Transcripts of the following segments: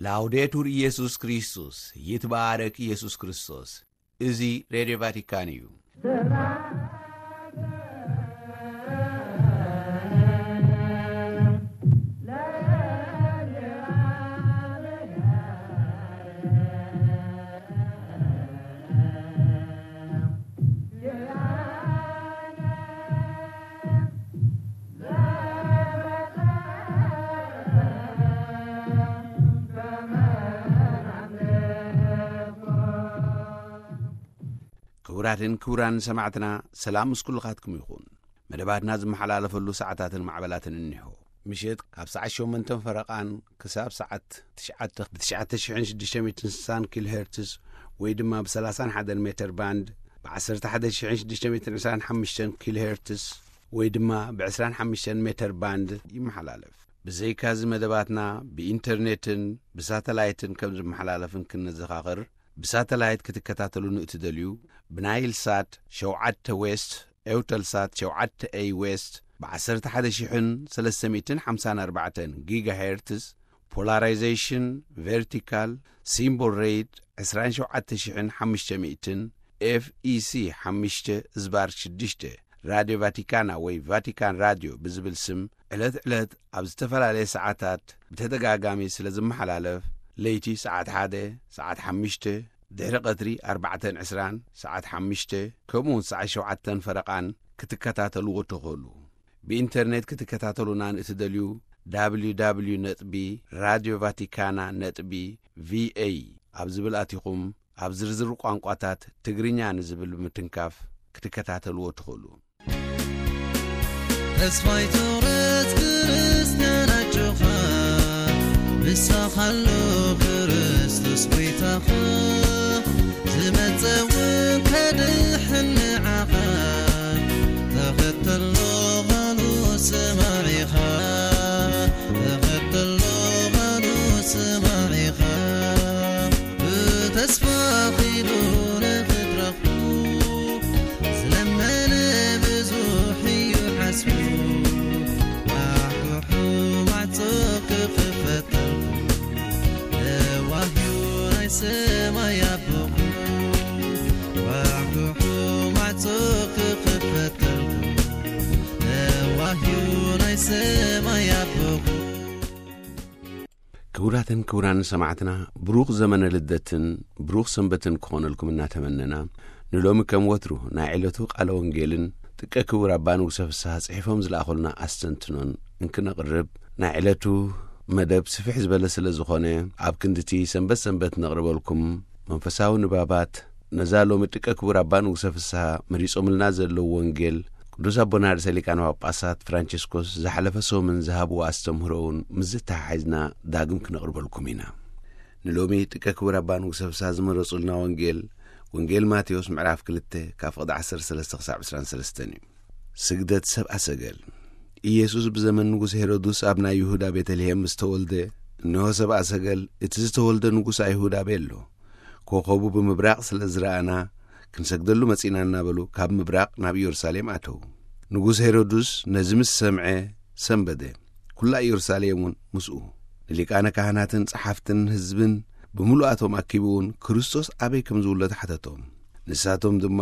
ላውዴቱር ኢየሱስ ክርስቶስ፣ ይትባረክ ኢየሱስ ክርስቶስ። እዚ ሬድዮ ቫቲካን እዩ። ክቡራትን ክቡራን ሰማዕትና፣ ሰላም ምስ ኩልኻትኩም ይኹን። መደባትና ዝመሓላለፈሉ ሰዓታትን ማዕበላትን እኒሆ። ምሸት ካብ ሰዓት ሸሞንተን ፈረቓን ክሳብ ሰዓት ትሽዓተ ብ ትሽዓተ ሽሕን ሽዱሽተ ሚእትን ስሳን ኪሎ ሄርትስ ወይ ድማ ብ ሰላሳን ሓደን ሜተር ባንድ፣ ብ ዓሰርተ ሓደ ሽሕን ሽዱሽተ ሚእትን ዕስራን ሓሙሽተን ኪሎ ሄርትስ ወይ ድማ ብ ዕስራን ሓሙሽተን ሜተር ባንድ ይመሓላለፍ። ብዘይካዚ መደባትና ብኢንተርኔትን ብሳተላይትን ከም ዝመሓላለፍን ክንዘኻኽር፣ ብሳተላይት ክትከታተሉ ንእትደልዩ፣ ብናይል ሳት ሸውዓተ ዌስት፣ ኤውተልሳት ሸውዓተ ኤይ ዌስት፣ ብ ዓሰርተ ሓደ ሽሕን ሰለስተ ሚእትን ሓምሳን ኣርባዕተን ጊጋሄርትስ፣ ፖላራይዜሽን ቨርቲካል፣ ሲምቦል ሬት ዕስራን ሸውዓተ ሽሕን ሓሙሽተ ሚእትን፣ ኤፍ ኢ ሲ ሓሙሽተ ዝባር ሽዱሽተ፣ ራድዮ ቫቲካና ወይ ቫቲካን ራድዮ ብዝብል ስም ዕለት ዕለት ኣብ ዝተፈላለየ ሰዓታት ብተደጋጋሚ ስለ ዝመሓላለፍ፣ ለይቲ ሰዓት ሓደ፣ ሰዓት ሓሙሽተ፣ ድሕሪ ቀትሪ ኣርባዕተን ዕስራን፣ ሰዓት ሓሙሽተ፣ ከምኡ እውን ሰዓት ሸውዓተን ፈረቓን ክትከታተልዎ ትኽእሉ። ብኢንተርኔት ክትከታተሉና ንእትደልዩ፣ www ነጥቢ ራድዮ ቫቲካና ነጥቢ ቪኤ ኣብ ዝብል ኣቲኹም፣ ኣብ ዝርዝር ቋንቋታት ትግርኛ ንዝብል ብምትንካፍ ክትከታተልዎ ትኽእሉ። ተስፋይ ትቑረጽ ክርስትያን ኣጆኻ፣ ንስኻ ኣሎ ክርስቶስ ጐይታኻ፣ ዝመጸ እውን ከድሕን ንዓኻ። ተኸተሎ ቓሉ ስማዕ ኢኻ፣ ተኸተሎ ቓሉ ስማዕ ኢኻ። ብተስፋ ኺዱ ንኽትረኽቡ፣ ዝለመነ ብዙሕ እዩ ዓስቡ። ኳሕኩሑ ማዕጾ ክኽፈተልኩም፣ ለዋህ እዩ ናይ ሰማይ ኣቦኹም። ኳሕኩሑ ማዕጾ ክኽፈተልኩም፣ ለዋህ እዩ ናይ ሰማይ ኣቦኹም። ክቡራትን ክቡራን ሰማዕትና፣ ብሩኽ ዘመነ ልደትን ብሩኽ ሰንበትን ክኾነልኩም እናተመነና፣ ንሎሚ ከም ወትሩ ናይ ዕለቱ ቃለ ወንጌልን ጥቀ ክቡር ኣባ ንጉሰ ፍስሓ ጽሒፎም ዝለኣኹልና ኣስተንትኖን እንክነቕርብ፣ ናይ ዕለቱ መደብ ስፍሕ ዝበለ ስለ ዝኾነ፣ ኣብ ክንድቲ ሰንበት ሰንበት ነቕርበልኩም መንፈሳዊ ንባባት፣ ነዛ ሎሚ ጥቀ ክቡር ኣባ ንጉሰ ፍስሓ መሪጾምልና ዘለዉ ወንጌል፣ ቅዱስ ኣቦና ርእሰ ሊቃነ ጳጳሳት ፍራንቸስኮስ ዝሓለፈ ሰሙን ዝሃብዎ ኣስተምህሮ እውን ምስ ዘተሓሒዝና ዳግም ክነቕርበልኩም ኢና። ንሎሚ ጥቀ ክቡር ኣባ ንጉሰ ፍስሓ ዝመረጹልና ወንጌል፣ ወንጌል ማቴዎስ ምዕራፍ ክልተ ካብ ፍቕዲ ዓሰርተ ሰለስተ ክሳብ ዕስራን ሰለስተን እዩ። ስግደት ሰብኣ ሰገል። ኢየሱስ ብዘመን ንጉስ ሄሮድስ ኣብ ናይ ይሁዳ ቤተልሔም ምስ ተወልደ፣ እንሆ ሰብኣ ሰገል፣ እቲ ዝተወልደ ንጉስ ኣይሁድ ኣበይ ኣሎ? ኮኸቡ ብምብራቕ ስለ ዝረኣና፣ ክንሰግደሉ መጺእና እናበሉ ካብ ምብራቕ ናብ ኢየሩሳሌም ኣተዉ። ንጉስ ሄሮድስ ነዚ ምስ ሰምዐ ሰንበደ፣ ኩላ ኢየሩሳሌም እውን ምስኡ። ንሊቃነ ካህናትን ጸሓፍትን ህዝብን ብምሉኣቶም ኣኪቡ እውን ክርስቶስ ኣበይ ከም ዝውለድ ሓተቶም። ንሳቶም ድማ፣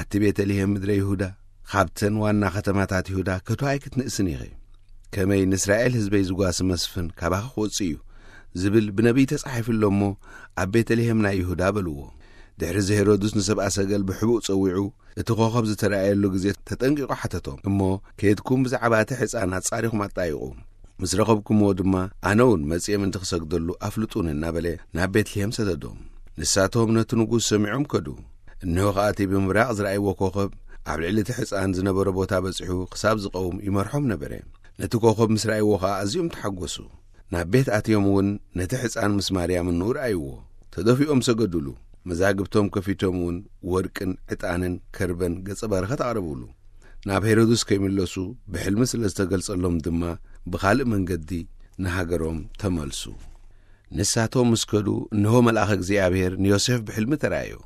ኣቲ ቤተልሔም ምድረ ይሁዳ፣ ካብተን ዋና ከተማታት ይሁዳ ከቶ ኣይክትንእስን ኢኺ። ከመይ ንእስራኤል ህዝበይ ዝጓሲ መስፍን ካባኺ ክወጽእ እዩ ዝብል ብነቢይ ተጻሒፉ ኣሎ እሞ፣ ኣብ ቤተልሔም ናይ ይሁዳ በልዎ። ድሕሪ እዚ ሄሮድስ ንሰብኣ ሰገል ብሕቡእ ጸዊዑ፣ እቲ ኮኸብ ዝተራእየሉ ግዜ ተጠንቂቑ ሓተቶም እሞ፣ ከይድኩም ብዛዕባ እቲ ሕጻን ኣጻሪኹም ኣጣይቑ። ምስ ረኸብኩምዎ ድማ፣ ኣነ እውን መጺኤ ምእንቲ ክሰግደሉ ኣፍልጡኒ እናበለ ናብ ቤትልሔም ሰደዶም። ንሳቶም ነቲ ንጉስ ሰሚዖም ከዱ። እንሆ ኸኣ እቲ ብምብራቕ ዝረኣይዎ ኮኸብ ኣብ ልዕሊ እቲ ሕጻን ዝነበሮ ቦታ በጺሑ ክሳብ ዝቐውም ይመርሖም ነበረ። ነቲ ኮኸብ ምስ ረኣይዎ ኸኣ ኣዝዮም ተሓጎሱ። ናብ ቤት ኣትዮም እውን ነቲ ሕጻን ምስ ማርያም እንኡ ረኣይዎ። ተደፊኦም ሰገዱሉ። መዛግብቶም ከፊቶም እውን ወርቅን ዕጣንን ከርበን ገጸ በረኸት ኣቕረቡሉ። ናብ ሄሮድስ ከይምለሱ ብሕልሚ ስለ ዝተገልጸሎም ድማ ብኻልእ መንገዲ ንሃገሮም ተመልሱ። ንሳቶም ምስ ከዱ፣ እንሆ መልኣኸ እግዚኣብሔር ንዮሴፍ ብሕልሚ ተራእዮ።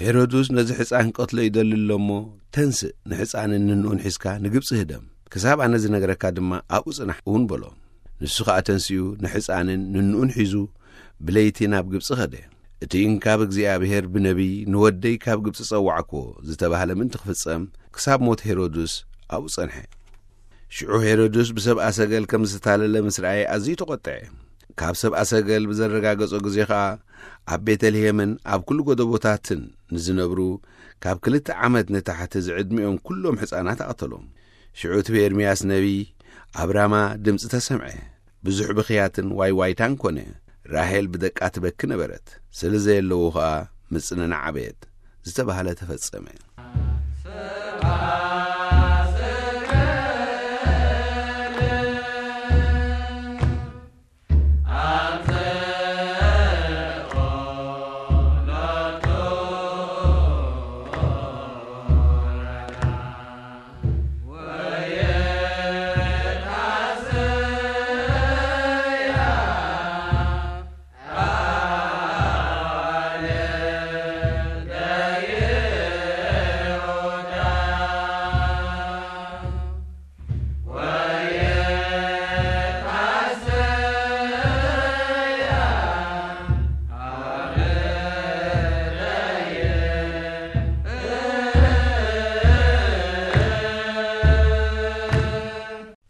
ሄሮድስ ነዚ ሕፃን ክቐትሎ ይደሊ ኣሎ እሞ፣ ተንስእ፣ ንሕፃንን ንንኡን ሒዝካ ንግብፂ ህደም። ክሳብ ኣነ ዝነግረካ ድማ ኣብኡ ጽናሕ እውን በሎ። ንሱ ኸኣ ተንሲኡ ንሕፃንን ንንኡን ሒዙ ብለይቲ ናብ ግብጺ ኸደ። እቲ እንካብ እግዚኣብሔር ብነቢይ ንወደይ ካብ ግብጺ ጸዋዕኮ ዝተባህለ ምእንቲ ክፍጸም፣ ክሳብ ሞት ሄሮድስ ኣብኡ ጸንሐ። ሽዑ ሄሮድስ ብሰብኣ ሰገል ከም ዝተታለለ ምስ ረኣየ ኣዝዩ ተቖጥዐ። ካብ ሰብኣ ሰገል ብዘረጋገጾ ግዜ ኸኣ፣ ኣብ ቤተልሔምን ኣብ ኩሉ ጎደቦታትን ንዝነብሩ ካብ ክልተ ዓመት ንታሕቲ ዝዕድሚኦም ኩሎም ሕፃናት ኣቐተሎም። ሽዑ እቲ ብኤርምያስ ነቢይ ኣብ ራማ ድምጺ ተሰምዐ። ብዙሕ ብኽያትን ዋይ ዋይታን ኮነ። ራሄል ብደቃ ትበኪ ነበረት። ስለ ዘየለዉ ኸኣ ምጽንናዕ ኣበየት። ዝተባህለ ተፈጸመ።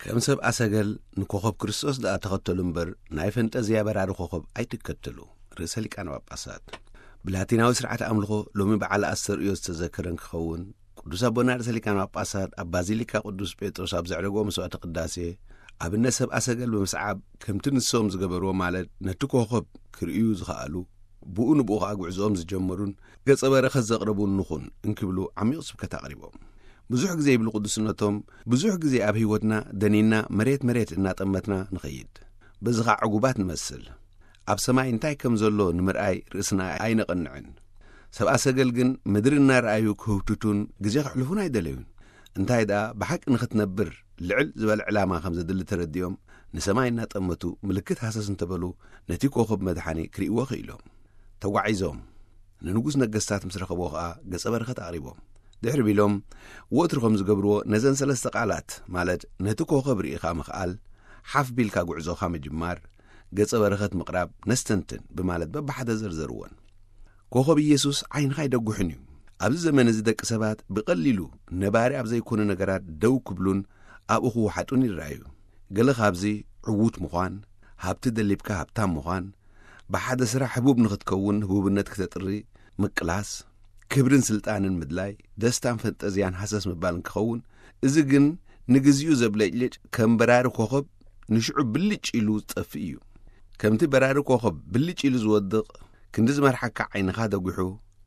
ከም ሰብ ኣሰገል ንኮኸብ ክርስቶስ ደኣ ተኸተሉ እምበር፣ ናይ ፈንጠዝያ በራሪ ኮኸብ ኣይትከተሉ። ርእሰ ሊቃነ ጳጳሳት። ብላቲናዊ ስርዓት ኣምልኾ ሎሚ በዓል ኣስተርእዮ ዝተዘከረ እንክኸውን፣ ቅዱስ ኣቦና ርእሰ ሊቃነ ጳጳሳት ኣብ ባዚሊካ ቅዱስ ጴጥሮስ ኣብ ዘዕረግዎ መስዋዕተ ቅዳሴ፣ ኣብነት ሰብ ኣሰገል ብምስዓብ፣ ከምቲ ንሶም ዝገበርዎ፣ ማለት ነቲ ኮኸብ ክርእዩ ዝኸኣሉ፣ ብኡ ንብኡ ኸኣ ጉዕዞኦም ዝጀመሩን ገጸ በረኸት ዘቕረቡን ንኹን እንክብሉ ዓሚቕ ስብከት ኣቕሪቦም። ብዙሕ ግዜ ይብሉ ቅዱስነቶም፣ ብዙሕ ግዜ ኣብ ህይወትና ደኒና መሬት መሬት እናጠመትና ንኸይድ። በዚ ኸኣ ዕጉባት ንመስል። ኣብ ሰማይ እንታይ ከም ዘሎ ንምርኣይ ርእስና ኣይነቐንዕን። ሰብኣ ሰገል ግን ምድሪ እናረኣዩ ክህውትቱን ግዜ ከሕልፉን ኣይደለዩን። እንታይ ደኣ ብሓቂ ንኽትነብር ልዕል ዝበለ ዕላማ ከም ዘድሊ ተረዲኦም፣ ንሰማይ እናጠመቱ ምልክት ሃሰስ እንተበሉ ነቲ ኮኸብ መድሓኒ ክርእይዎ ክኢሎም። ተጓዒዞም ንንጉስ ነገስታት ምስ ረኸብዎ ኸኣ ገጸ በረኸት ኣቕሪቦም። ድሕሪ ቢሎም ወትሩ ከም ዝገብርዎ ነዘን ሰለስተ ቃላት፣ ማለት ነቲ ኮኸብ ርኢኻ ምኽኣል፣ ሓፍ ቢልካ ጉዕዞኻ ምጅማር፣ ገጸ በረኸት ምቕራብ ነስተንትን ብማለት በብሓደ ዘርዘርወን። ኮኸብ ኢየሱስ ዓይንኻ ኣይደጉሕን እዩ። ኣብዚ ዘመን እዚ ደቂ ሰባት ብቐሊሉ ነባሪ ኣብ ዘይኮኑ ነገራት ደው ክብሉን ኣብኡ ክወሓጡን ይረኣዩ። ገለ ካብዚ ዕዉት ምዃን፣ ሃብቲ ደሊብካ ሃብታም ምዃን፣ ብሓደ ስራሕ ህቡብ ንኽትከውን ህቡብነት ክተጥሪ ምቅላስ፣ ክብርን ስልጣንን ምድላይ፣ ደስታን ፈንጠዝያን ሃሰስ ምባልን ክኸውን፣ እዚ ግን ንግዚኡ ዘብለጭልጭ ከም በራሪ ኮኸብ ንሽዑ ብልጭ ኢሉ ዝጠፍእ እዩ። ከምቲ በራሪ ኮኸብ ብልጭ ኢሉ ዝወድቕ፣ ክንዲ ዝመርሓካ ዓይንኻ ደጒሑ፣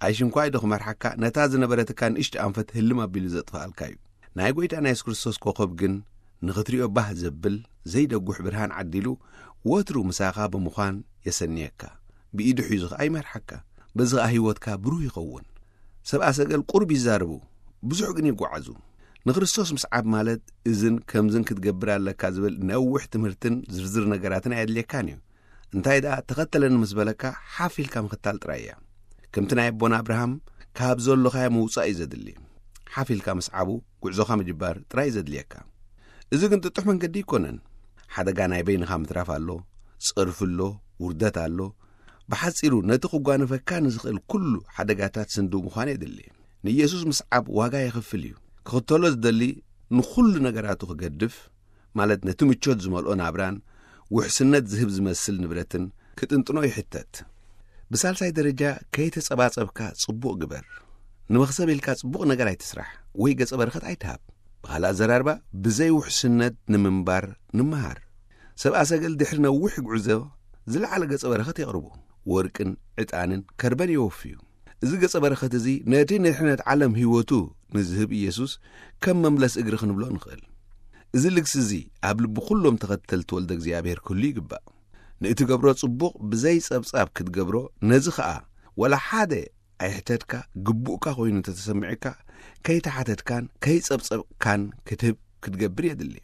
ኣይሽንኳይ ዶ ክመርሓካ፣ ነታ ዝነበረትካ ንእሽቶ ኣንፈት ህልም ኣቢሉ ዘጥፍኣልካ እዩ። ናይ ጐይታና የሱስ ክርስቶስ ኮኸብ ግን ንኽትሪኦ ባህ ዘብል ዘይደጉሕ ብርሃን ዓዲሉ ወትሩ ምሳኻ ብምዃን የሰንየካ። ብኢዱ ሒዙ ኸኣ ይመርሓካ። በዚ ኸኣ ህይወትካ ብሩህ ይኸውን። ሰብኣ ሰገል ቁሩብ ይዛረቡ፣ ብዙሕ ግን ይጓዓዙ። ንክርስቶስ ምስዓብ ማለት እዝን ከምዝን ክትገብር ኣለካ ዝብል ነዊሕ ትምህርትን ዝርዝር ነገራትን ኣየድልየካን እዩ። እንታይ ደኣ ተኸተለኒ ምስ በለካ ሓፍ ኢልካ ምኽታል ጥራይ እያ። ከምቲ ናይ ኣቦና ኣብርሃም ካብ ዘሎኻዮ ምውጻእ እዩ ዘድሊ። ሓፍ ኢልካ ምስዓቡ ጉዕዞኻ ምጅባር ጥራይ እዩ ዘድልየካ። እዚ ግን ጥጡሕ መንገዲ ኣይኮነን። ሓደጋ ናይ በይንኻ ምትራፍ ኣሎ፣ ጸርፊ ኣሎ፣ ውርደት ኣሎ። ብሓጺሩ ነቲ ክጓነፈካ ንዝኽእል ኩሉ ሓደጋታት ስንድው ምዃን የድሊ። ንኢየሱስ ምስዓብ ዋጋ የኽፍል እዩ። ክኽተሎ ዝደሊ ንኹሉ ነገራቱ ክገድፍ፣ ማለት ነቲ ምቾት ዝመልኦ ናብራን ውሕስነት ዝህብ ዝመስል ንብረትን ክጥንጥኖ ይሕተት። ብሳልሳይ ደረጃ ከይተጸባጸብካ ጽቡቕ ግበር። ንመኽሰብ ኢልካ ጽቡቕ ነገር ኣይትስራሕ ወይ ገጸ በረኸት ኣይትሃብ። ብኻልእ ኣዘራርባ ብዘይ ውሕስነት ንምንባር ንምሃር። ሰብኣ ሰገል ድሕሪ ነዊሕ ጉዕዞ ዝለዓለ ገጸ በረኸት የቕርቡ። ወርቅን ዕጣንን ከርበን የወፍዩ። እዚ ገጸ በረኸት እዚ ነቲ ንድሕነት ዓለም ህይወቱ ንዝህብ ኢየሱስ ከም መምለስ እግሪ ክንብሎ ንኽእል። እዚ ልግሲ እዚ ኣብ ልቢ ኩሎም ተኸተልቲ ወልደ እግዚኣብሔር ክህሉ ይግባእ። ንእትገብሮ ጽቡቕ ብዘይ ጸብጻብ ክትገብሮ፣ ነዚ ኸኣ ወላ ሓደ ኣይሕተትካ፣ ግቡእካ ኮይኑ እንተተሰሚዑካ፣ ከይተሓተትካን ከይጸብጸብካን ክትህብ ክትገብር የድሊ።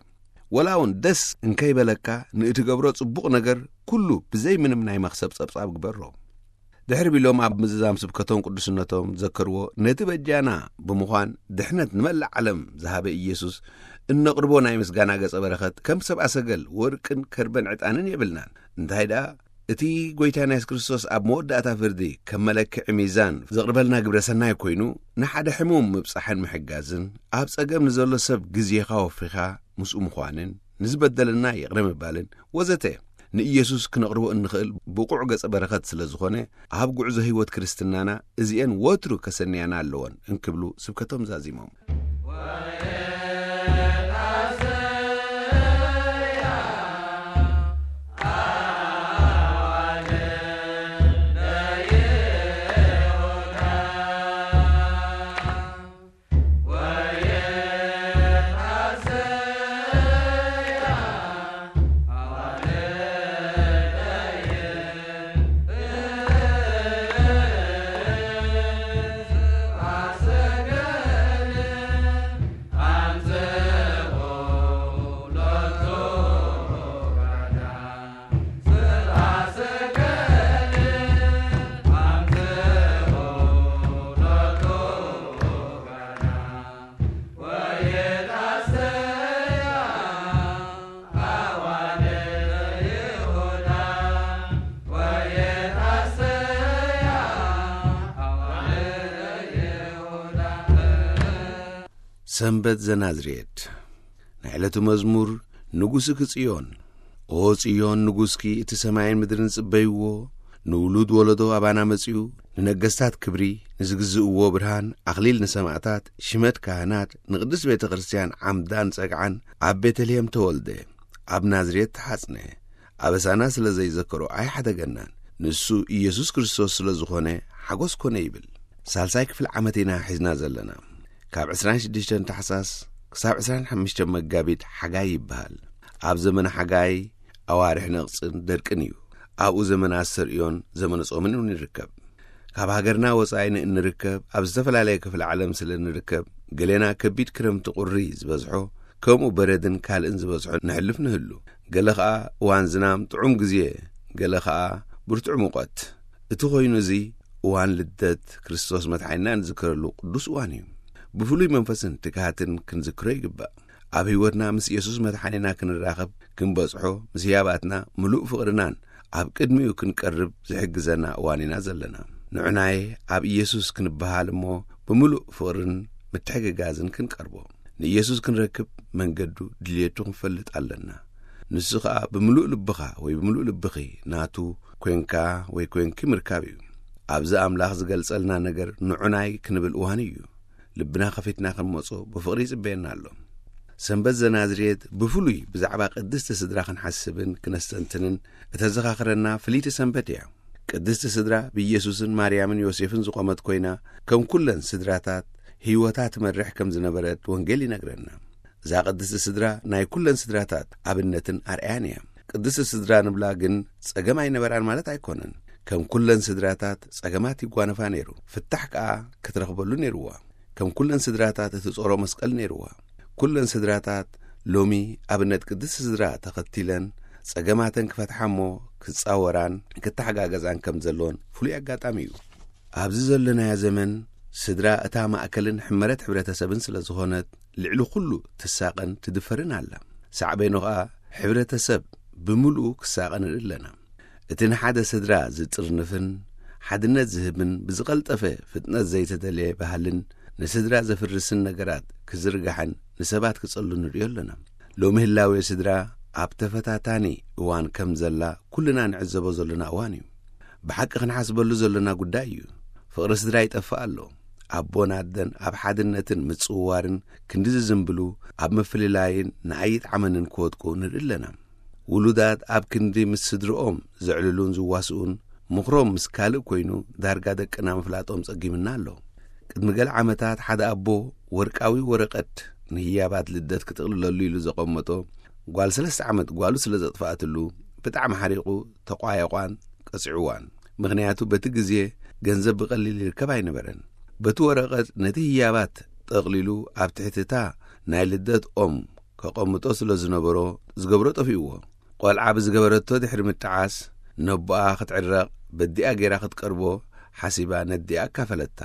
ወላ እውን ደስ እንከይበለካ፣ ንእትገብሮ ጽቡቕ ነገር ኩሉ ብዘይ ምንም ናይ መኽሰብ ጸብጻብ ግበሮ። ድሕሪ ቢሎም ኣብ ምዝዛም ስብከቶም ቅዱስነቶም ዘከርዎ፣ ነቲ በጃና ብምዃን ድሕነት ንመላእ ዓለም ዝሃበ ኢየሱስ እነቕርቦ ናይ ምስጋና ገጸ በረኸት ከም ሰብኣ ሰገል ወርቅን ከርበን ዕጣንን የብልናን። እንታይ ደኣ እቲ ጎይታና የሱስ ክርስቶስ ኣብ መወዳእታ ፍርዲ ከም መለክዒ ሚዛን ዘቕርበልና ግብረ ሰናይ ኮይኑ፣ ንሓደ ሕሙም ምብጻሕን ምሕጋዝን፣ ኣብ ጸገም ንዘሎ ሰብ ግዜኻ ወፊኻ ምስኡ ምዃንን፣ ንዝበደለና ይቕረ ምባልን ወዘተ ንኢየሱስ ክነቕርቦ እንኽእል ብቑዕ ገጸ በረኸት ስለ ዝኾነ፣ ኣብ ጉዕዞ ህይወት ክርስትናና እዚኤን ወትሩ ከሰንያና ኣለወን እንክብሉ ስብከቶም ዛዚሞም። ሰንበት ዘናዝሬት። ናይ ዕለቱ መዝሙር። ንጉስኪ ጽዮን፣ ኦ ጽዮን፣ ንጉስኪ እቲ ሰማይን ምድርን ጽበይዎ። ንውሉድ ወለዶ ኣባና መጺኡ፣ ንነገስታት ክብሪ፣ ንዝግዝእዎ ብርሃን፣ ኣኽሊል ንሰማዕታት፣ ሽመት ካህናት፣ ንቅድስት ቤተ ክርስቲያን ዓምዳን ጸግዓን ኣብ ቤተልሔም ተወልደ፣ ኣብ ናዝሬት ተሓጽነ። ኣበሳና ስለ ዘይዘከሮ ኣይሓደገናን። ንሱ ኢየሱስ ክርስቶስ ስለ ዝኾነ ሓጎስ ኮነ ይብል። ሳልሳይ ክፍሊ ዓመት ኢና ሒዝና ዘለና። ካብ ዕስራን ሽዱሽተን ታሕሳስ ክሳብ ዕስራን ሓሙሽተን መጋቢት ሓጋይ ይበሃል። ኣብ ዘመነ ሓጋይ ኣዋርሕ ነቕጽን ደርቅን እዩ። ኣብኡ ዘመነ ኣስተርእዮን ዘመነ ጾምን እውን ይርከብ። ካብ ሃገርና ወጻኢ ንእንርከብ ኣብ ዝተፈላለየ ክፍለ ዓለም ስለ እንርከብ፣ ገሌና ከቢድ ክረምቲ ቁሪ ዝበዝሖ፣ ከምኡ በረድን ካልእን ዝበዝሖ ነሕልፍ ንህሉ። ገለ ኸኣ እዋን ዝናም ጥዑም ግዜ፣ ገለ ኸኣ ብርቱዕ ሙቐት። እቲ ኾይኑ እዚ እዋን ልደት ክርስቶስ መድሓኒና እንዝክረሉ ቅዱስ እዋን እዩ። ብፍሉይ መንፈስን ትግሃትን ክንዝክሮ ይግባእ። ኣብ ህይወትና ምስ ኢየሱስ መድሓኒና ክንራኸብ ክንበጽሖ፣ ምስ ህያባትና ምሉእ ፍቕርናን ኣብ ቅድሚኡ ክንቀርብ ዝሕግዘና እዋን ኢና ዘለና። ንዑናይ ኣብ ኢየሱስ ክንበሃል እሞ ብምሉእ ፍቕርን ምትሕግጋዝን ክንቀርቦ። ንኢየሱስ ክንረክብ መንገዱ ድልየቱ ክንፈልጥ ኣለና። ንሱ ኸኣ ብምሉእ ልብኻ ወይ ብምሉእ ልብኺ ናቱ ኮንካ ወይ ኮንኪ ምርካብ እዩ። ኣብዚ ኣምላኽ ዝገልጸልና ነገር ንዑናይ ክንብል እዋን እዩ። ልብና ከፊትና ክንመጾ ብፍቕሪ ይጽበየና ኣሎ። ሰንበት ዘናዝሬት ብፍሉይ ብዛዕባ ቅድስቲ ስድራ ክንሓስብን ክነስተንትንን እተዘኻኽረና ፍልይቲ ሰንበት እያ። ቅድስቲ ስድራ ብኢየሱስን ማርያምን ዮሴፍን ዝቖመት ኮይና፣ ከም ኩለን ስድራታት ህይወታ ትመርሕ ከም ዝነበረት ወንጌል ይነግረና። እዛ ቅድስቲ ስድራ ናይ ኩለን ስድራታት ኣብነትን ኣርኣያን እያ። ቅድስቲ ስድራ ንብላ ግን ጸገም ኣይነበራን ማለት ኣይኮነን። ከም ኩለን ስድራታት ጸገማት ይጓነፋ ነይሩ፣ ፍታሕ ከኣ ክትረኽበሉ ነይርዋ። ከም ኩለን ስድራታት እቲ ጾሮ መስቀል ነይርዋ። ኩለን ስድራታት ሎሚ ኣብነት ቅድስቲ ስድራ ተኸቲለን ጸገማተን ክፈትሓ እሞ ክጻወራን ክተሓጋገዛን ከም ዘሎን ፍሉይ ኣጋጣሚ እዩ። ኣብዚ ዘለናዮ ዘመን ስድራ እታ ማእከልን ሕመረት ሕብረተሰብን ስለ ዝኾነት ልዕሊ ኩሉ ትሳቐን ትድፈርን ኣላ። ሳዕቤኑ ኸኣ ሕብረተሰብ ብምሉኡ ክሳቐ ንርኢ ኣለና። እቲ ንሓደ ስድራ ዝጥርንፍን ሓድነት ዝህብን ብዝቐልጠፈ ፍጥነት ዘይተደለየ ባህልን ንስድራ ዘፍርስን ነገራት ክዝርጋሕን ንሰባት ክጸሉ ንርእዮ ኣለና። ሎሚ ህላዌ ስድራ ኣብ ተፈታታኒ እዋን ከም ዘላ ኩልና ንዕዘቦ ዘለና እዋን እዩ። ብሓቂ ክንሓስበሉ ዘለና ጉዳይ እዩ። ፍቕሪ ስድራ ይጠፍእ ኣሎ። ኣቦን ኣደን ኣብ ሓድነትን ምጽውዋርን ክንዲ ዝዝንብሉ፣ ኣብ ምፍልላይን ንኣይጥ ዓመንን ክወድቁ ንርኢ ኣለና። ውሉዳት ኣብ ክንዲ ምስ ስድርኦም ዘዕልሉን ዝዋስኡን፣ ምኽሮም ምስ ካልእ ኮይኑ ዳርጋ ደቅና ምፍላጦም ጸጊምና ኣሎ። ቅድሚ ገለ ዓመታት ሓደ ኣቦ ወርቃዊ ወረቐት ንህያባት ልደት ክጥቕልለሉ ኢሉ ዘቐመጦ ጓል ሰለስተ ዓመት ጓሉ ስለ ዘጥፍኣትሉ ብጣዕሚ ሓሪቑ ተቋየቋን ቀጺዕዋን። ምኽንያቱ በቲ ግዜ ገንዘብ ብቐሊል ይርከብ ኣይነበረን። በቲ ወረቐት ነቲ ህያባት ጠቕሊሉ ኣብ ትሕቲ እታ ናይ ልደት ኦም ከቐምጦ ስለ ዝነበሮ ዝገብሮ ጠፊእዎ። ቆልዓ ብዝገበረቶ ድሕሪ ምጥዓስ ነቦኣ ክትዕረቕ በዲኣ ገይራ ክትቀርቦ ሓሲባ ነዲኣ ኣካፈለታ።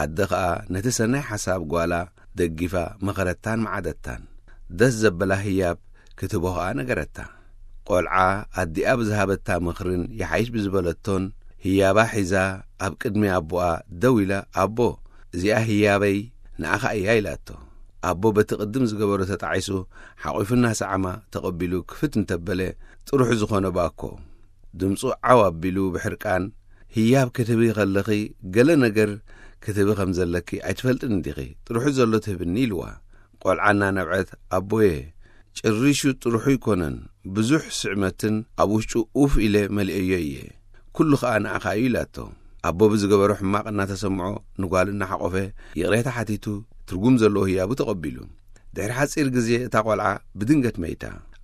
ኣደ ኸኣ ነቲ ሰናይ ሓሳብ ጓላ ደጊፋ መኸረታን መዓደታን። ደስ ዘበላ ህያብ ክትህቦ ኸኣ ነገረታ። ቆልዓ ኣዲኣ ብዝሃበታ ምኽርን ይሓይሽ ብዝበለቶን ህያባ ሒዛ ኣብ ቅድሚ ኣቦኣ ደው ኢላ፣ "ኣቦ፣ እዚኣ ህያበይ ንኣኻ እያ" ኢላቶ። ኣቦ በቲ ቅድም ዝገበሮ ተጣዒሱ ሓቒፉ እናሰዓማ ተቐቢሉ ክፍት እንተበለ፣ ጥርሑ ዝኾነ ባኮ ድምፁ ዓው ኣቢሉ ብሕርቃን፣ "ህያብ ክትህቢ ከለኺ ገለ ነገር ክትህቢ ከም ዘለኪ ኣይትፈልጥን እንዲኺ? ጥርሑ ዘሎ ትህብኒ" ኢልዋ። ቆልዓ እናነብዐት፣ "ኣቦየ፣ ጭሪሹ ጥርሑ ኣይኮነን፣ ብዙሕ ስዕመትን ኣብ ውሽጡ ኡፍ ኢለ መሊኤዮ እየ። ኩሉ ኸኣ ንኣኻ እዩ" ኢላቶ። ኣቦ ብዝገበሮ ሕማቕ እናተሰምዖ ንጓል እናሓቖፈ ይቕሬታ ሓቲቱ ትርጉም ዘለዎ ህያቡ ተቐቢሉ። ድሕሪ ሓጺር ግዜ እታ ቆልዓ ብድንገት መይታ።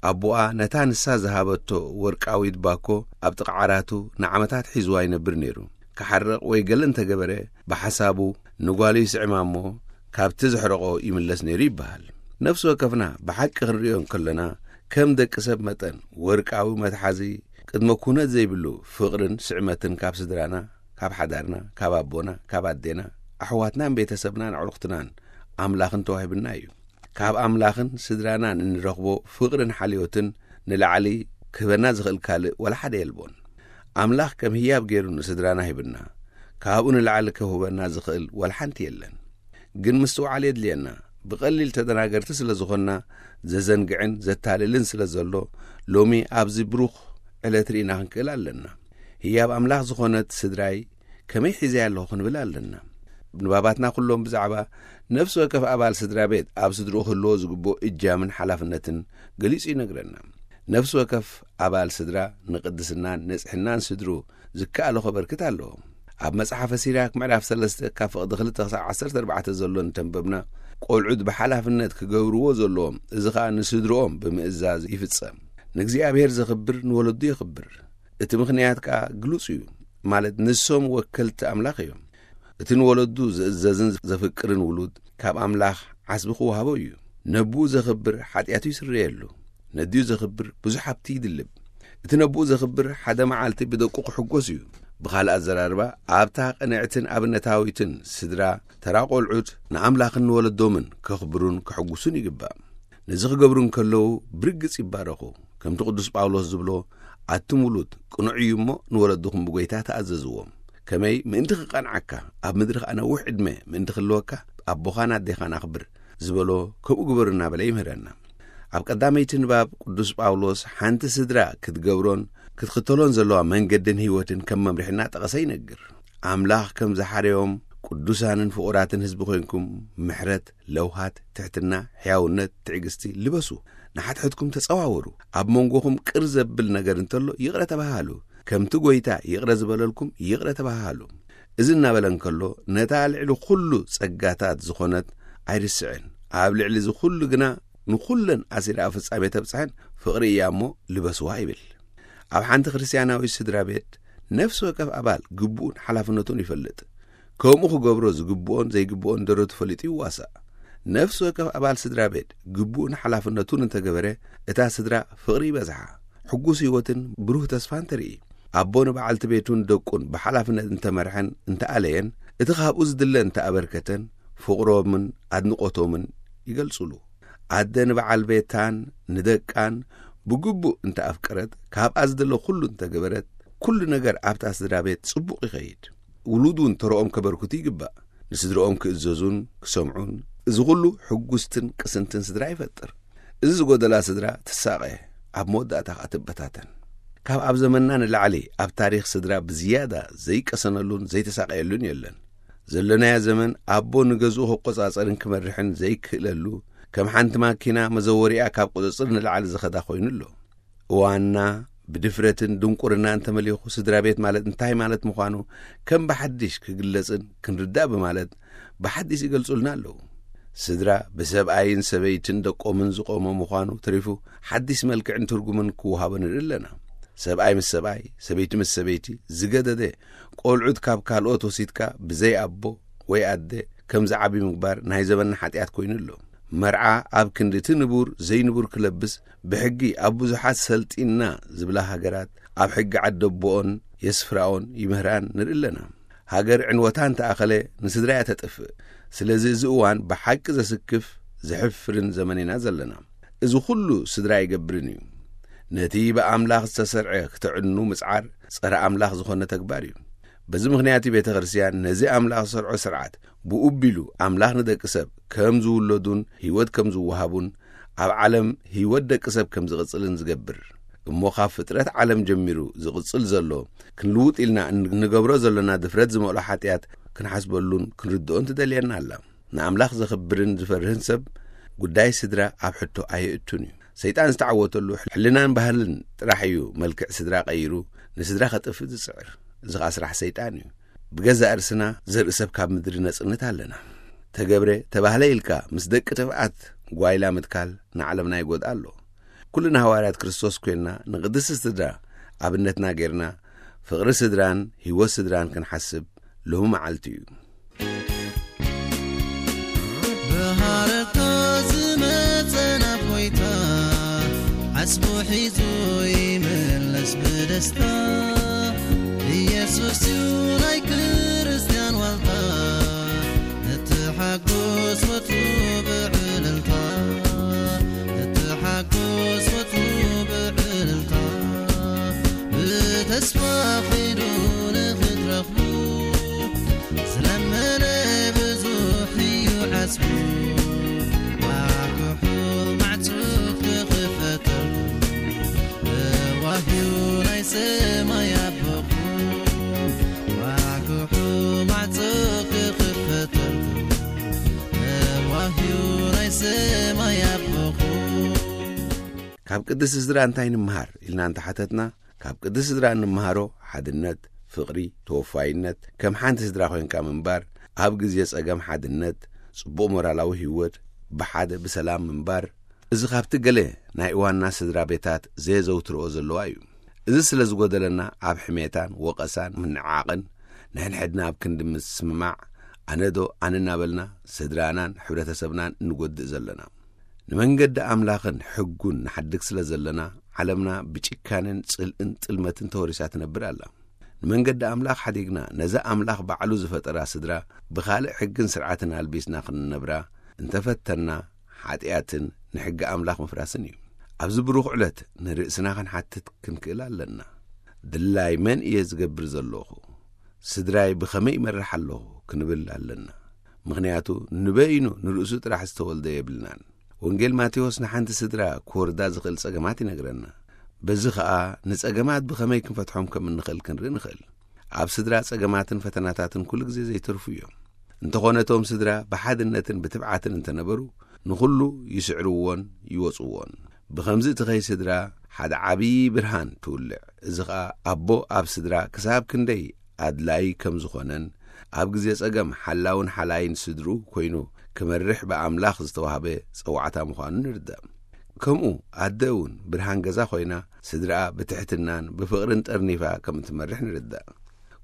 ኣቦኣ ነታ ንሳ ዝሃበቶ ወርቃዊት ባኮ ኣብ ጥቓ ዓራቱ ንዓመታት ሒዝዋ ይነብር ነይሩ። ክሓርቕ ወይ ገለ እንተገበረ ብሓሳቡ ንጓሉ ይስዕማ እሞ ካብቲ ዘሕረቖ ይምለስ ነይሩ ይበሃል። ነፍሲ ወከፍና ብሓቂ ክንርእዮ እንከለና ከም ደቂ ሰብ መጠን ወርቃዊ መትሓዚ ቅድመ ኩነት ዘይብሉ ፍቕርን ስዕመትን ካብ ስድራና፣ ካብ ሓዳርና፣ ካብ ኣቦና፣ ካብ ኣዴና፣ ኣሕዋትናን ቤተሰብናን ኣዕሩኽትናን ኣምላኽን ተዋሂብና እዩ። ካብ ኣምላኽን ስድራናን እንረኽቦ ፍቕርን ሓልዮትን ንላዕሊ ክህበና ዝኽእል ካልእ ወላ ሓደ የልቦን። ኣምላኽ ከም ህያብ ገይሩ ንስድራና ሂብና፣ ካብኡ ንላዕሊ ክህበና ዝኽእል ወላ ሓንቲ የለን። ግን ምስትውዓል የድልየና። ብቐሊል ተደናገርቲ ስለ ዝኾንና፣ ዘዘንግዕን ዘታልልን ስለ ዘሎ፣ ሎሚ ኣብዚ ብሩኽ ዕለት ርኢና ክንክእል ኣለና። ህያብ ኣምላኽ ዝኾነት ስድራይ ከመይ ሒዘያ ኣለኹ ክንብል ኣለና። ንባባትና ኩሎም ብዛዕባ ነፍሲ ወከፍ ኣባል ስድራ ቤት ኣብ ስድርኡ ክህልዎ ዝግብኦ እጃምን ሓላፍነትን ገሊጹ ይነግረና። ነፍሲ ወከፍ ኣባል ስድራ ንቅድስናን ንጽሕናን ስድሩ ዝከኣሎ ከበርክት ኣለዎ። ኣብ መጽሓፈ ሲራክ ምዕራፍ ሰለስተ ካብ ፍቕዲ ክልተ ክሳብ ዓሰርተ ኣርባዕተ ዘሎ እንተንበብና፣ ቆልዑት ብሓላፍነት ክገብርዎ ዘለዎም፣ እዚ ኸኣ ንስድርኦም ብምእዛዝ ይፍጸም። ንእግዚኣብሔር ዘኽብር ንወለዱ የኽብር። እቲ ምኽንያት ከኣ ግሉጽ እዩ፣ ማለት ንሶም ወከልቲ ኣምላኽ እዮም። እቲ ንወለዱ ዝእዘዝን ዘፍቅርን ውሉድ ካብ ኣምላኽ ዓስቢ ክወሃቦ እዩ። ነብኡ ዘኽብር ሓጢኣቱ ይስረየሉ። ነዲኡ ዘኽብር ብዙሕ ሃብቲ ይድልብ። እቲ ነብኡ ዘኽብር ሓደ መዓልቲ ብደቁ ክሕጎስ እዩ። ብኻልእ ኣዘራርባ፣ ኣብታ ቅንዕትን ኣብነታዊትን ስድራ ተራ ቆልዑት ንኣምላኽን ንወለዶምን ከኽብሩን ከሕጉሱን ይግባእ። ነዚ ክገብሩ እንከለዉ ብርግጽ ይባረኹ። ከምቲ ቅዱስ ጳውሎስ ዝብሎ፣ "ኣቱም ውሉድ ቅኑዕ እዩ እሞ ንወለድኹም ብጎይታ ተኣዘዝዎም። ከመይ ምእንቲ ክቐንዓካ ኣብ ምድሪ ኸኣ ነዊሕ ዕድመ ምእንቲ ክህልወካ ኣቦኻን ኣዴኻን ኣኽብር" ዝበሎ ከምኡ ግበሩ እናበለ ይምህረና። ኣብ ቀዳመይቲ ንባብ ቅዱስ ጳውሎስ ሓንቲ ስድራ ክትገብሮን ክትኽተሎን ዘለዋ መንገድን ህይወትን ከም መምርሒ እናጠቐሰ ይነግር። ኣምላኽ ከም ዝሓረዮም ቅዱሳንን ፍቑራትን ህዝቢ ኮይንኩም ምሕረት፣ ለውሃት፣ ትሕትና፣ ሕያውነት፣ ትዕግስቲ ልበሱ። ንሓድሕድኩም ተጸዋወሩ። ኣብ መንጎኹም ቅር ዘብል ነገር እንተሎ ይቕረ ተባሃሉ። ከምቲ ጎይታ ይቕረ ዝበለልኩም ይቕረ ተባሃሉ። እዚ እናበለ እንከሎ ነታ ልዕሊ ኩሉ ጸጋታት ዝኾነት ኣይርስዕን። ኣብ ልዕሊ እዚ ኩሉ ግና ንኹለን ኣሲራ ኣብ ፍጻሜ ተብጽሐን ፍቕሪ እያ እሞ ልበስዋ ይብል። ኣብ ሓንቲ ክርስትያናዊ ስድራ ቤት ነፍሲ ወከፍ ኣባል ግቡኡን ሓላፍነቱን ይፈልጥ። ከምኡ ክገብሮ ዝግብኦን ዘይግብኦን ደረቱ ፈሊጡ ይዋሳእ። ነፍሲ ወከፍ ኣባል ስድራ ቤት ግቡኡን ሓላፍነቱን እንተገበረ፣ እታ ስድራ ፍቕሪ ይበዝሓ፣ ሕጉስ ህይወትን ብሩህ ተስፋን ተርኢ። ኣቦ ንበዓልቲ ቤቱን ደቁን ብሓላፍነት እንተመርሐን እንተኣለየን፣ እቲ ካብኡ ዝድለ እንተኣበርከተን፣ ፍቕሮምን ኣድንቖቶምን ይገልጹሉ። ኣደ ንበዓል ቤታን ንደቃን ብግቡእ እንተኣፍቀረት፣ ካብኣ ዝድለ ኩሉ እንተገበረት፣ ኩሉ ነገር ኣብታ ስድራ ቤት ጽቡቕ ይኸይድ። ውሉድ እውን ተረኦም ከበርክቱ ይግባእ። ንስድረኦም ክእዘዙን ክሰምዑን። እዚ ኩሉ ሕጉስትን ቅስንትን ስድራ ይፈጥር። እዚ ዝጎደላ ስድራ ትሳቐ፣ ኣብ መወዳእታ ከኣ ትበታተን። ካብ ኣብ ዘመንና ንላዕሊ ኣብ ታሪኽ ስድራ ብዝያዳ ዘይቀሰነሉን ዘይተሳቐየሉን የለን። ዘለናዮ ዘመን ኣቦ ንገዝኡ ክቆጻጸርን ክመርሕን ዘይክእለሉ፣ ከም ሓንቲ ማኪና መዘወሪኣ ካብ ቁጽጽር ንላዕሊ ዝኸዳ ኮይኑ ኣሎ። እዋንና ብድፍረትን ድንቁርናን ተመሊኹ፣ ስድራ ቤት ማለት እንታይ ማለት ምዃኑ ከም ብሓድሽ ክግለጽን ክንርዳእ ብማለት ብሓድሽ ይገልጹልና ኣለዉ። ስድራ ብሰብኣይን ሰበይትን ደቆምን ዝቖመ ምዃኑ ተሪፉ፣ ሓድሽ መልክዕን ትርጉምን ክወሃቦ ንርኢ ኣለና። ሰብኣይ ምስ ሰብኣይ፣ ሰበይቲ ምስ ሰበይቲ ዝገደደ፣ ቆልዑት ካብ ካልኦት ወሲድካ ብዘይ ኣቦ ወይ ኣደ ከም ዝዓቢ ምግባር ናይ ዘመንና ሓጢኣት ኮይኑ ኣሎ። መርዓ ኣብ ክንዲ እቲ ንቡር ዘይንቡር ክለብስ ብሕጊ ኣብ ብዙሓት ሰልጢና ዝብላ ሃገራት ኣብ ሕጊ ዓደቦኦን የስፍራኦን ይምህራን ንርኢ ኣለና። ሃገር ዕንወታ እንተኣኸለ ንስድራ እያ ተጥፍእ። ስለዚ እዚ እዋን ብሓቂ ዘስክፍ ዘሕፍርን ዘመን ኢና ዘለና። እዚ ኩሉ ስድራ ኣይገብርን እዩ። ነቲ ብኣምላኽ ዝተሰርዐ ክተዕኑ ምጽዓር ጸረ ኣምላኽ ዝኾነ ተግባር እዩ። በዚ ምኽንያት ቤተ ክርስቲያን ነዚ ኣምላኽ ዝሰርዖ ስርዓት ብኡ ቢሉ ኣምላኽ ንደቂ ሰብ ከም ዝውለዱን ህይወት ከም ዝወሃቡን ኣብ ዓለም ህይወት ደቂ ሰብ ከም ዝቕጽልን ዝገብር፣ እሞ ካብ ፍጥረት ዓለም ጀሚሩ ዝቕጽል ዘሎ ክንልውጥ ኢልና እንገብሮ ዘለና ድፍረት ዝመልኦ ሓጢኣት ክንሓስበሉን ክንርድኦን ትደልየና ኣላ። ንኣምላኽ ዘኽብርን ዝፈርህን ሰብ ጉዳይ ስድራ ኣብ ሕቶ ኣየእቱን እዩ። ሰይጣን ዝተዓወተሉ ሕልናን ባህልን ጥራሕ እዩ መልክዕ ስድራ ቀይሩ ንስድራ ከጥፍእ ዝጽዕር። እዚ ኸኣ ስራሕ ሰይጣን እዩ። ብገዛእ ርእስና ዘርኢ ሰብ ካብ ምድሪ ነጽንት ኣለና። ተገብረ ተባህለ ኢልካ ምስ ደቂ ጥፍኣት ጓይላ ምትካል ንዓለምና ይጎድኣ ኣሎ። ኩልና ሃዋርያት ክርስቶስ ኮይንና ንቅድስቲ ስድራ ኣብነትና ጌርና ፍቕሪ ስድራን ህይወት ስድራን ክንሓስብ ሎሚ መዓልቲ እዩ። ብሃረርታ ዝመጸ ናብ ጎይታ ዓስቡ ሒዙ ይምለስ ብደስታ። ኢየሱስ እዩ ናይ ክርስትያን ዋልታ። ንትሓጎስ ወትሩ ብዕልልታ። ንትሓጎስ ወትሩ ብዕልልታ። ብተስፋ ኺዱ ንኽትረኽቡ ዝለመነ ብዙሕ እዩ ዓስቡ። ኳሕኩሑ ማዕጾ ክኽፈተልኩም እዋህዩ ናይ ሰማይ ኣቦኹም። ኳሕኩሑ ማዕጾ ክኽፈተልኩም እዋህዩ ናይ ሰማይ ኣቦኹም። ካብ ቅድስቲ ስድራ እንታይ ንምሃር ኢልና እንተሓተትና፣ ካብ ቅድስቲ ስድራ እንምሃሮ ሓድነት፣ ፍቕሪ፣ ተወፋይነት፣ ከም ሓንቲ ስድራ ኮይንካ ምንባር፣ ኣብ ግዜ ጸገም ሓድነት፣ ጽቡቕ ሞራላዊ ህይወት፣ ብሓደ ብሰላም ምንባር። እዚ ካብቲ ገለ ናይ እዋንና ስድራ ቤታት ዘየዘውትርኦ ዘለዋ እዩ። እዚ ስለ ዝጎደለና ኣብ ሕሜታን ወቐሳን ምንዕዓቕን ንሕንሕድና ኣብ ክንዲ ምስምማዕ ኣነዶ ኣነ እናበልና ስድራናን ሕብረተሰብናን እንጎድእ ዘለና። ንመንገዲ ኣምላኽን ሕጉን ንሓድግ ስለ ዘለና ዓለምና ብጭካንን ጽልእን ጥልመትን ተወሪሳ ትነብር ኣላ። ንመንገዲ ኣምላኽ ሓዲግና ነዛ ኣምላኽ ባዕሉ ዝፈጠራ ስድራ ብኻልእ ሕግን ስርዓትን ኣልቢስና ክንነብራ እንተፈተና ሓጢኣትን ንሕጊ ኣምላኽ ምፍራስን እዩ። ኣብዚ ብሩኽ ዕለት ንርእስና ክንሓትት ክንክእል ኣለና። ድላይ መን እየ ዝገብር ዘለኹ? ስድራይ ብኸመይ ይመርሕ ኣለኹ? ክንብል ኣለና። ምኽንያቱ ንበይኑ ንርእሱ ጥራሕ ዝተወልደ የብልናን። ወንጌል ማቴዎስ ንሓንቲ ስድራ ክወርዳ ዝኽእል ጸገማት ይነግረና። በዚ ኸኣ ንጸገማት ብኸመይ ክንፈትሖም ከም እንኽእል ክንርኢ ንኽእል። ኣብ ስድራ ጸገማትን ፈተናታትን ኩሉ ግዜ ዘይተርፉ እዮም። እንተኾነ እቶም ስድራ ብሓድነትን ብትብዓትን እንተነበሩ ንኹሉ ይስዕርዎን ይወጽዎን። ብኸምዚ እቲ ኸይ ስድራ ሓደ ዓብዪ ብርሃን ትውልዕ። እዚ ኸኣ ኣቦ ኣብ ስድራ ክሳብ ክንደይ ኣድላዪ ከም ዝኾነን ኣብ ግዜ ጸገም ሓላውን ሓላይን ስድሩ ኮይኑ ክመርሕ ብኣምላኽ ዝተዋህበ ጸዋዕታ ምዃኑ ንርዳእ። ከምኡ ኣደ እውን ብርሃን ገዛ ኮይና ስድራኣ ብትሕትናን ብፍቕርን ጠርኒፋ ከም እትመርሕ ንርዳእ።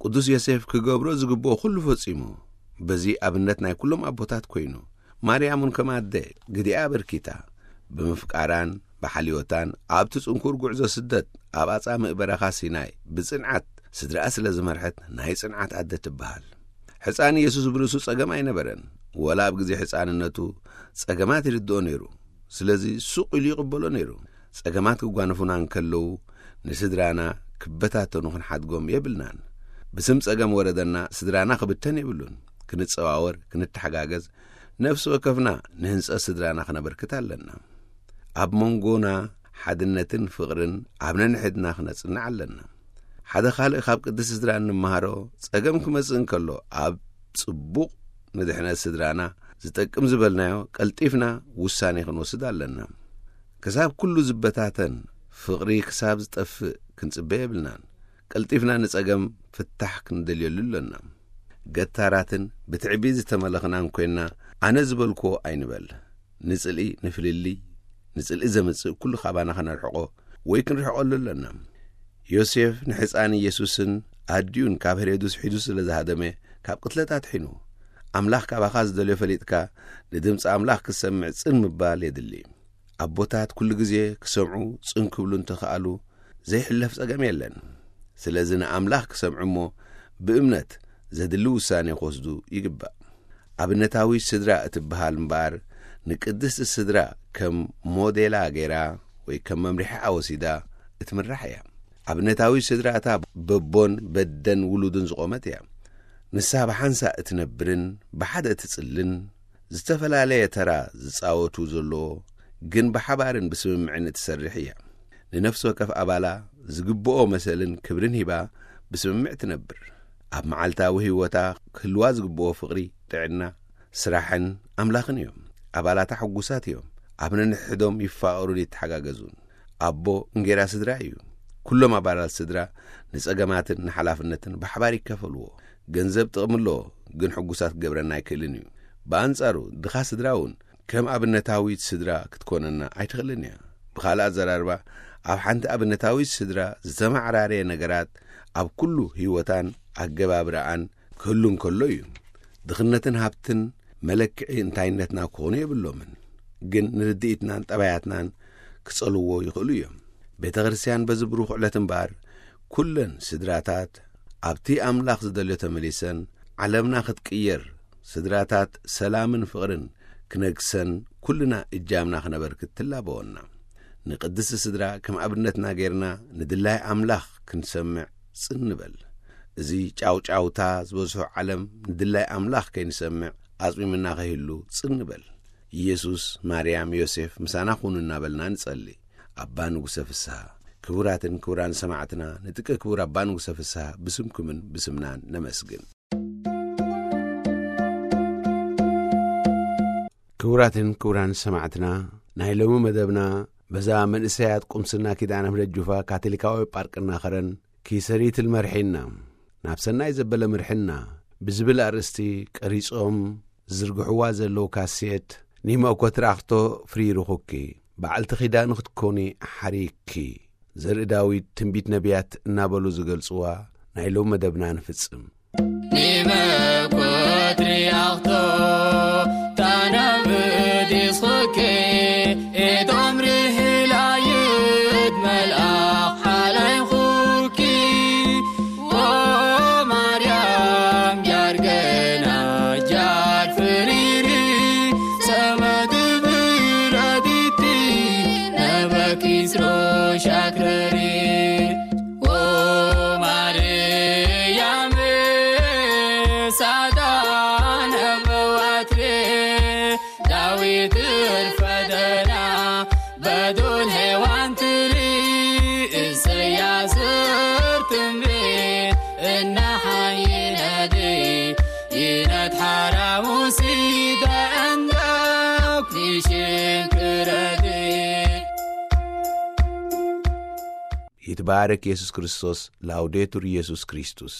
ቅዱስ ዮሴፍ ክገብሮ ዝግብኦ ኩሉ ፈጺሙ። በዚ ኣብነት ናይ ኩሎም ኣቦታት ኮይኑ ማርያም እውን ከም ኣደ ግዲኣ ኣበርኪታ ብምፍቃራን ብሓልዮታን ኣብቲ ጽንኩር ጉዕዞ ስደት ኣብ ኣጻምእ በረኻ ሲናይ ብጽንዓት ስድራኣ ስለ ዝመርሐት ናይ ጽንዓት ኣደ ትበሃል። ሕፃን ኢየሱስ ብርእሱ ጸገም ኣይነበረን። ወላ ኣብ ግዜ ሕፃንነቱ ጸገማት ይርድኦ ነይሩ። ስለዚ ሱቕ ኢሉ ይቕበሎ ነይሩ። ጸገማት ክጓነፉና እንከለዉ ንስድራና ክበታተኑ ክንሓድጎም የብልናን። ብስም ጸገም ወረደና ስድራና ክብተን የብሉን። ክንጸዋወር፣ ክንተሓጋገዝ፣ ነፍሲ ወከፍና ንህንጸት ስድራና ክነበርክት ኣለና። ኣብ መንጎና ሓድነትን ፍቕርን ኣብ ነንሕድና ክነጽንዕ ኣለና። ሓደ ካልእ ካብ ቅድስቲ ስድራ እንመሃሮ ጸገም ክመጽእ እንከሎ ኣብ ጽቡቕ ንድሕነት ስድራና ዝጠቅም ዝበልናዮ ቀልጢፍና ውሳኔ ክንወስድ ኣለና። ክሳብ ኩሉ ዝበታተን ፍቕሪ ክሳብ ዝጠፍእ ክንጽበ የብልናን። ቀልጢፍና ንጸገም ፍታሕ ክንደልየሉ ኣለና። ገታራትን ብትዕቢት ዝተመለኽናን ኮይንና ኣነ ዝበልክዎ ኣይንበል። ንጽልኢ ንፍልልይ ንጽልኢ ዘምጽእ ኩሉ ካባና ከነርሕቆ ወይ ክንርሕቀሉ ኣለና። ዮሴፍ ንሕፃን ኢየሱስን ኣዲኡን ካብ ሄሮድስ ሒዙ ስለ ዝሃደመ ካብ ቅትለት ኣድሒኑ። ኣምላኽ ካባኻ ዝደልዮ ፈሊጥካ ንድምፂ ኣምላኽ ክትሰምዕ ጽን ምባል የድሊ። ኣቦታት ኩሉ ግዜ ክሰምዑ ጽን ክብሉ እንተኸኣሉ ዘይሕለፍ ጸገም የለን። ስለዚ ንኣምላኽ ክሰምዑ እሞ ብእምነት ዘድሊ ውሳኔ ክወስዱ ይግባእ። ኣብነታዊ ስድራ እትበሃል እምበኣር ንቅድስቲ ስድራ ከም ሞዴላ ገይራ ወይ ከም መምርሒ ኣወሲዳ እትምራሕ እያ። ኣብነታዊ ስድራ እታ በቦን በደን ውሉድን ዝቖመት እያ። ንሳ ብሓንሳእ እትነብርን ብሓደ እትጽልን፣ ዝተፈላለየ ተራ ዝጻወቱ ዘለዎ፣ ግን ብሓባርን ብስምምዕን እትሰርሕ እያ። ንነፍሲ ወከፍ ኣባላ ዝግብኦ መሰልን ክብርን ሂባ ብስምምዕ ትነብር። ኣብ መዓልታዊ ህይወታ ክህልዋ ዝግብኦ ፍቕሪ፣ ጥዕና፣ ስራሕን ኣምላኽን እዮም። ኣባላታ ሕጉሳት እዮም። ኣብ ነንሕዶም ይፋቐሩን ይተሓጋገዙን። ኣቦ እንጌራ ስድራ እዩ። ኩሎም ኣባላት ስድራ ንጸገማትን ንሓላፍነትን ብሓባር ይካፈልዎ። ገንዘብ ጥቕሚ ኣለዎ፣ ግን ሕጉሳት ክገብረና ኣይክእልን እዩ። ብኣንጻሩ ድኻ ስድራ እውን ከም ኣብነታዊት ስድራ ክትኮነና ኣይትኽእልን እያ። ብኻልእ ኣዘራርባ፣ ኣብ ሓንቲ ኣብነታዊት ስድራ ዝተመዓራረየ ነገራት ኣብ ኩሉ ህይወታን ኣገባብራኣን ክህሉ እንከሎ እዩ። ድኽነትን ሃብትን መለክዒ እንታይነትና ክኾኑ የብሎምን፣ ግን ንርድኢትናን ጠባያትናን ክጸልዎ ይኽእሉ እዮም። ቤተ ክርስቲያን በዚ ብሩኽ ዕለት እምበኣር፣ ኩለን ስድራታት ኣብቲ ኣምላኽ ዝደልዮ ተመሊሰን፣ ዓለምና ክትቅየር፣ ስድራታት ሰላምን ፍቕርን ክነግሰን ኩልና እጃምና ክነበርክት ትላበወና። ንቅድስቲ ስድራ ከም ኣብነትና ጌርና ንድላይ ኣምላኽ ክንሰምዕ ጽን ንበል። እዚ ጫውጫውታ ዝበዝሖ ዓለም ንድላይ ኣምላኽ ከይንሰምዕ ኣጽሚምና ከይህሉ ጽን ንበል። ኢየሱስ፣ ማርያም፣ ዮሴፍ ምሳና ኩኑ እናበልና ንጸሊ። ኣባ ንጉሰ ፍስሃ፣ ክቡራትን ክቡራን ሰማዕትና፣ ንጥቀ ክቡር ኣባ ንጉሰ ፍስሃ ብስምኩምን ብስምናን ነመስግን። ክቡራትን ክቡራን ሰማዕትና፣ ናይ ሎሚ መደብና በዛ መንእሰያት ቁምስና ኪዳነ ምሕረት ጁፋ ካቶሊካዊ ጳርቅና ኸረን ኪሰሪት ልመርሒና፣ ናብ ሰናይ ዘበለ ምርሕና ብዝብል ኣርእስቲ ቀሪጾም ዝዝርግሕዋ ዘለዉ ካሴት፣ ኒመኮ ትራኽቶ ፍሪርኹኪ፣ በዓልቲ ኪዳኑ ክትኮኒ ሓሪኪ፣ ዘርኢ ዳዊት፣ ትንቢት ነቢያት እናበሉ ዝገልጽዋ ናይ ሎም መደብና ንፍጽም። ኒመኮ ትራኽቶ ታናብድ ይስኹኪ፣ ኤዶም ርህላይት መልኣኽ ሓላይኹኪ፣ ኦ ማርያም ጃርገና ጃር ፍሪሪ፣ ሰመድ ብረዲቲ ነበኪ ስሮ ሻክረሪ። ኦ ማርያም ሳዳን እመዋትሬ፣ ዳዊት እርፈደና በዶል ሔዋን ትሪ፣ ኢሰያስ ትንቢት እናሓየነዲ ይነት ሓራሙሲ ደእንደው ክሽንክረዲ። ይትባረክ ኢየሱስ ክርስቶስ። ላውዴቱር ኢየሱስ ክርስቶስ።